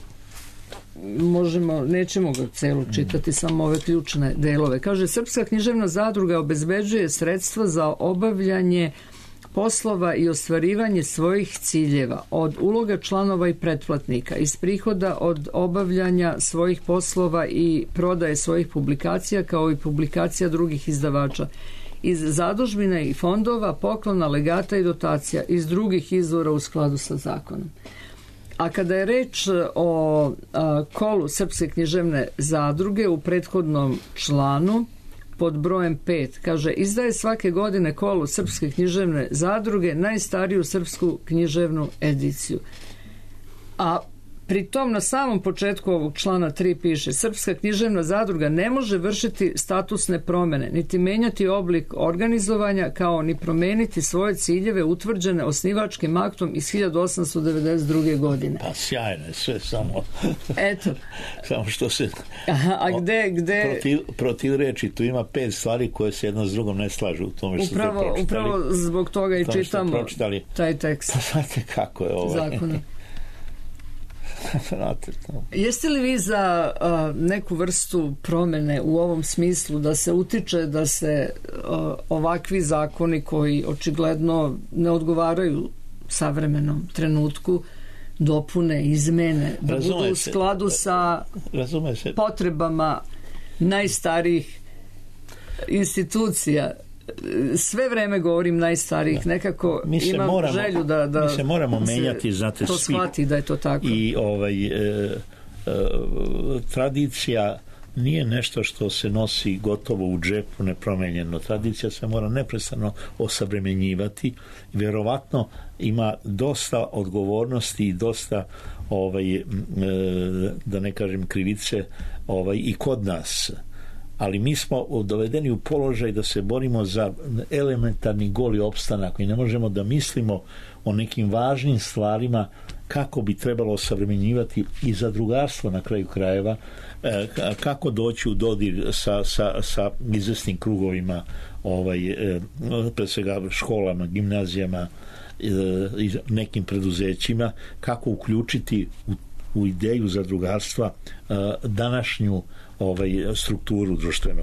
nećemo ga celu čitati, samo ove ključne delove. Kaže, Srpska književna zadruga obezbeđuje sredstva za obavljanje poslova i ostvarivanje svojih ciljeva od uloga članova i pretplatnika, iz prihoda od obavljanja svojih poslova i prodaje svojih publikacija, kao i publikacija drugih izdavača, iz zadužbina i fondova, poklona, legata i dotacija, iz drugih izvora u skladu sa zakonom. A kada je reč o kolu Srpske književne zadruge u prethodnom članu, pod brojem 5, kaže, izdaje svake godine kolu Srpske književne zadruge najstariju srpsku književnu ediciju. A pri tom na samom početku ovog člana 3 piše, Srpska književna zadruga ne može vršiti statusne promene, niti menjati oblik organizovanja, kao ni promeniti svoje ciljeve utvrđene osnivačkim aktom iz 1892. godine. Pa sjajno je sve, samo eto. Samo što se gde protiv reči, tu ima 5 stvari koje se jedno s drugom ne slažu u tome što ste pročitali. Upravo zbog toga i čitamo taj tekst. Pa znate kako je zakona. Jeste li vi za neku vrstu promene u ovom smislu, da se utiče da se ovakvi zakoni koji očigledno ne odgovaraju savremenom trenutku dopune, izmene, da budu u skladu sa potrebama najstarijih institucija? Sve vreme govorim najstarijih, nekako imam želju da mi se moramo menjati, znate, to shvati da je to tako. I tradicija nije nešto što se nosi gotovo u džepu nepromenjeno. Tradicija se mora neprestano osavremenjivati. Vjerovatno ima dosta odgovornosti i dosta da ne kažem krivice i kod nas. Ali mi smo dovedeni u položaj da se borimo za elementarni goli opstanak i ne možemo da mislimo o nekim važnim stvarima kako bi trebalo osavremenjivati i zadrugarstvo na kraju krajeva, kako doći u dodir sa izvesnim krugovima, pre svega školama, gimnazijama i nekim preduzećima, kako uključiti u ideju zadrugarstva današnju strukturu društvenu.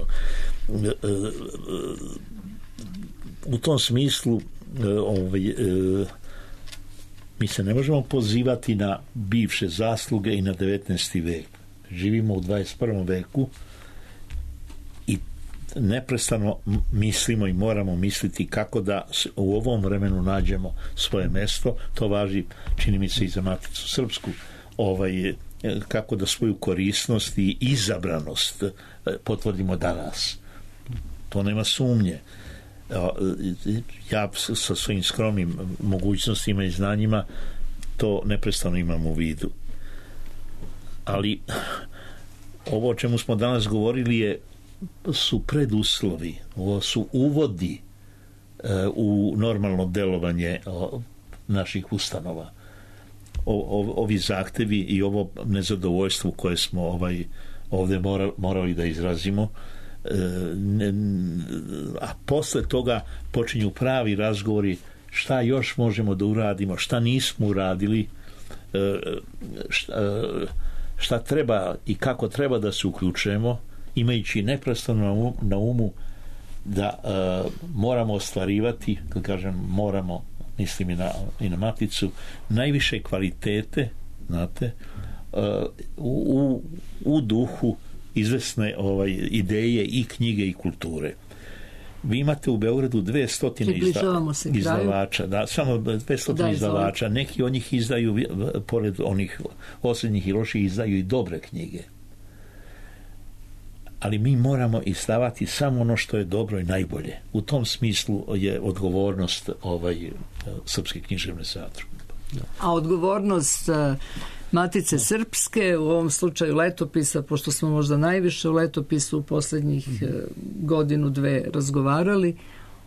U tom smislu mi se ne možemo pozivati na bivše zasluge i na 19. vek. Živimo u 21. veku i neprestano mislimo i moramo misliti kako da u ovom vremenu nađemo svoje mesto. To važi, čini mi se, i za Maticu Srpsku. kako da svoju korisnost i izabranost potvrdimo danas. To nema sumnje. Ja sa svojim skromnim mogućnostima i znanjima to neprestano imam u vidu. Ali ovo o čemu smo danas govorili su preduslovi, ovo su uvodi u normalno delovanje naših ustanova. Ovi zahtevi i ovo nezadovoljstvo koje smo ovdje morali da izrazimo, a posle toga počinju pravi razgovori šta još možemo da uradimo, šta nismo uradili, šta treba i kako treba da se uključujemo, imajući neprestano na umu da moramo ostvarivati, kad kažem moramo, mislim i na Maticu, najviše kvalitete, znate, u duhu izvesne ideje i knjige i kulture. Vi imate u Beogradu 200 izdavača, samo 200 izdavača. Neki od njih izdaju, pored onih osrednjih i loših, izdaju i dobre knjige. Ali mi moramo izdavati samo ono što je dobro i najbolje. U tom smislu je odgovornost Srpske književne zadruge. A odgovornost Matice Srpske, u ovom slučaju letopisa, pošto smo možda najviše u letopisu u posljednjih godinu, dve razgovarali.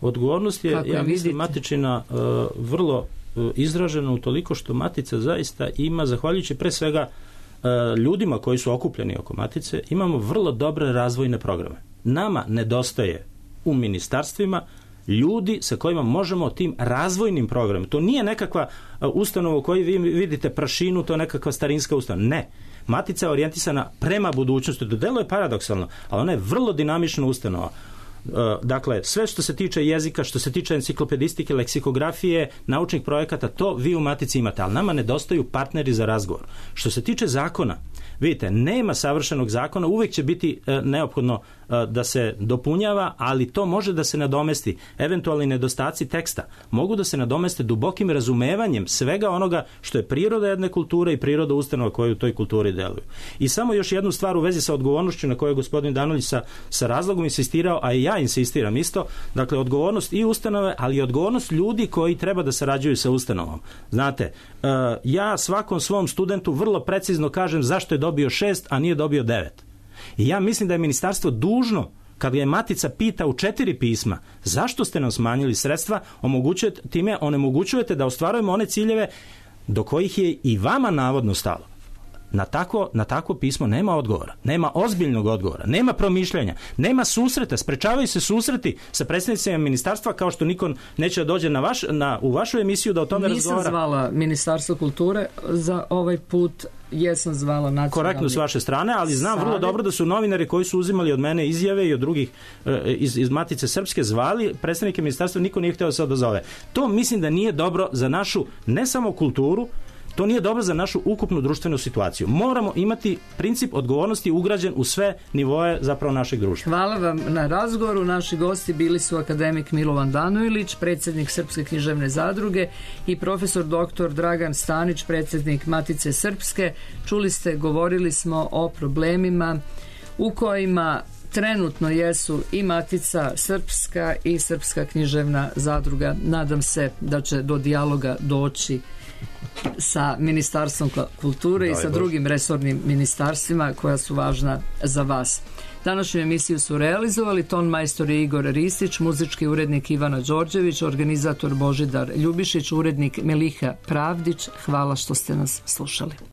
Odgovornost je, ja mislim, Matičina vrlo izražena u toliko što Matica zaista ima, zahvaljujući pre svega ljudima koji su okupljeni oko Matice, imamo vrlo dobre razvojne programe. Nama nedostaje u ministarstvima ljudi sa kojima možemo o tim razvojnim programima. To nije nekakva ustanova u kojoj vi vidite prašinu, to je nekakva starinska ustanova. Ne. Matica je orijentisana prema budućnosti. To delo je paradoksalno, ali ona je vrlo dinamična ustanova. Dakle, sve što se tiče jezika, što se tiče enciklopedistike, leksikografije, naučnih projekata, to vi u Matici imate, ali nama nedostaju partneri za razgovor. Što se tiče zakona, vidite, nema savršenog zakona, uvijek će biti neophodno da se dopunjava, ali to može da se nadomesti. Eventualni nedostaci teksta mogu da se nadomeste dubokim razumevanjem svega onoga što je priroda jedne kulture i priroda ustanova koje u toj kulturi deluju. I samo još jednu stvar u vezi sa odgovornošću na kojoj je gospodin Danolić sa razlogom insistirao, a i ja insistiram isto, dakle odgovornost i ustanove, ali i odgovornost ljudi koji treba da sarađuju sa ustanovom. Znate, ja svakom svom studentu vrlo precizno kažem zašto je dobio 6, a nije dobio 9. I ja mislim da je ministarstvo dužno, kad je Matica pita u 4 pisma zašto ste nam smanjili sredstva, time onemogućujete da ostvarujemo one ciljeve do kojih je i vama navodno stalo. Na takvo pismo nema odgovora, nema ozbiljnog odgovora, nema promišljanja, nema susreta, sprečavaju se susreti sa predstavnicima ministarstva, kao što niko neće da dođe u vašu emisiju da o tome razgovara. Nisam zvala Ministarstvo kulture za ovaj put, jesam zvala nacionalni... Korektno s vaše strane, ali znam vrlo dobro da su novinari koji su uzimali od mene izjave i od drugih iz Matice Srpske zvali predstavnike ministarstva, niko nije htio da se odazove. To mislim da nije dobro za našu, ne samo kulturu, to nije dobro za našu ukupnu društvenu situaciju. Moramo imati princip odgovornosti ugrađen u sve nivoe zapravo našeg društva. Hvala vam na razgovoru. Naši gosti bili su akademik Milovan Danojlić, predsjednik Srpske književne zadruge, i profesor dr. Dragan Stanić, predsjednik Matice Srpske. Čuli ste, govorili smo o problemima u kojima trenutno jesu i Matica Srpska i Srpska književna zadruga. Nadam se da će do dijaloga doći sa Ministarstvom kulture i sa drugim resornim ministarstvima koja su važna za vas. Današnju emisiju su realizovali ton majstor Igor Ristić, muzički urednik Ivana Đorđević, organizator Božidar Ljubišić, urednik Meliha Pravdić. Hvala što ste nas slušali.